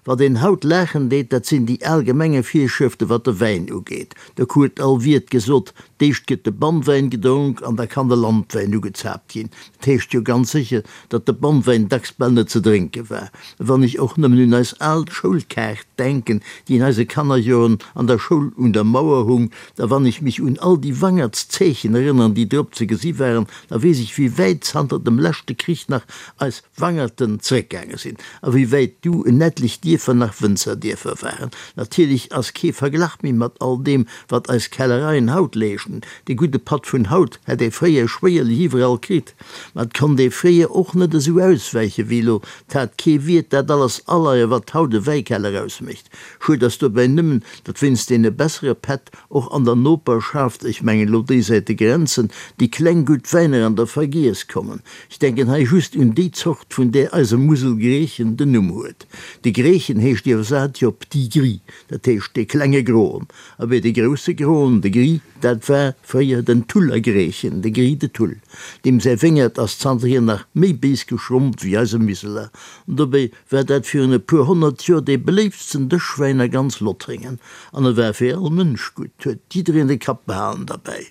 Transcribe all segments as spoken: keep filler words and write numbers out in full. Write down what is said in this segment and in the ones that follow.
Wat een haut laachen deet, dat sinn déi al Gemengevirschrëfte wat de Wäin ugeet. Do huet all Wiert gesot, D'éischt gëtt de Bannwäin gedronk an da kann de Landwäin ugezaapt ginn. Dat heescht jo ganz sécher, datt de Bannwäin dacks bal net ze drénke war. Wann ech och nëmmen un eis al Schoulkaart denken, déi in eise Kannerjoren an der Schoul un der Mauer hung, da wann ech mech un all déi Wangertszeechen erënneren, déi drop ze gesi waren, da weess ech, wéi wäit zanter dem leschte Krich nach eis Wangerten zeréckgaange sinn a wéi wäit du en etlech Dierfer nach Wënzerdierfer waren. Natierlech ass kee Verglach méi mat all deem, wat eis Kellereien haut leeschten. Dee gudde Patt vun haut hätt ee fréier schwéierlech iwwerall kritt. Ma et konnt ee fréier och net esou auswäiche wéi elo. 't hat kee Wiert dat alles aleie, wat haut e Wäikeller ausmécht. Schued ass dobäi nëmmen, datt wéinst deene bessere Pätt och an der Noperschaft, ech mengen elo déisäit de Grenzen, déi kleng gutt Wäiner an der Vergiess kommen. Ech denken hei just un déi Zort, vun där eise Muselgréchen den Numm huet. De Gréchen heescht iwwersat jo Petit Gris, dat heescht dee klenge Groen. Abee, de grousse Groen, de Gris, dat war fréier den Tuller Gréchen, de Gris de Tull. Deem säi Wéngert ass zanterhier nach méi béis geschrompt wéi eise Miseler. An dobäi war dat virun e puer honnert Joer dee beléiftsten Dëschwäin a ganz Lothringen. An e war fir all Mënsch gutt, huet jiddereen de Kapp behalen derbäi.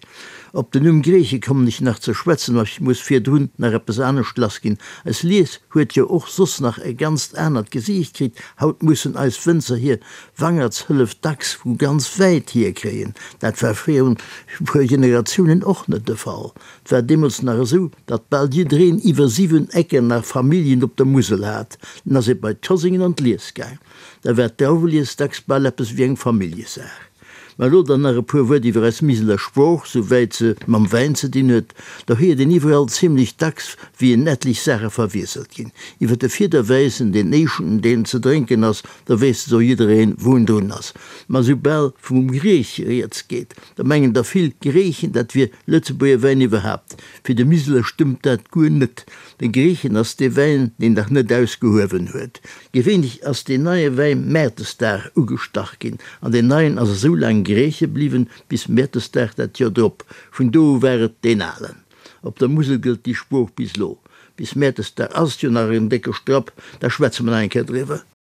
Op den Numm Gréche kommen ech nach ze schwätzen, ma ech muss virdrun nach eppes anescht lassginn. Eis Lies huet jo och soss nach e ganzt anert Gesiicht kritt. Haut mussen eis Wënzer hir Wangertshëllef dacks vu ganz wäit hier kréien. Dat war virun e puer Generatiounen och net de Fall. 't war deemools nach esou, datt bal jiddereen iwwer siwen Ecken nach Familljen op der Musel hat. Dann ass ee bei d'Koséngen an d'Lies gaang. Da war d'Drauwelies dacks bal eppes wéi eng Familljesaach. Mä elo dann nach e puer Wuert iwwer eis Miseler Sprooch, sou wäit se mam Wäin ze dinn huet. Do héiert een iwwerall zimlech dacks, wéi en etlech Saache verwiesselt ginn. Iwwer de Fiederwäissen, deen éischten, deen ze drénken ass, do weess esou jiddereen, wou en drun ass. Mä soubal vum Griech rieds geet, da mengen der vill, Griichen, dat wier Lëtzebuerger Wäin iwwerhaapt. Fir de Miseler stëmmt dat guer net. De Griichen ass dee Wäin, deen nach net ausgehuewen huet. Gewéinlech ass deen neie Wäin Mäertesdag ugestach ginn, an deen neien ass esou laang Griiche bliwwen bis Mäertesdag dat Joer drop. Vun do u war et deen alen. Op der Musel gëllt déi Sprooch bis lo. Bis Mäertesdag ass et jo nach en décke Strapp, da schwätze mer nach eng Kéier driwwer.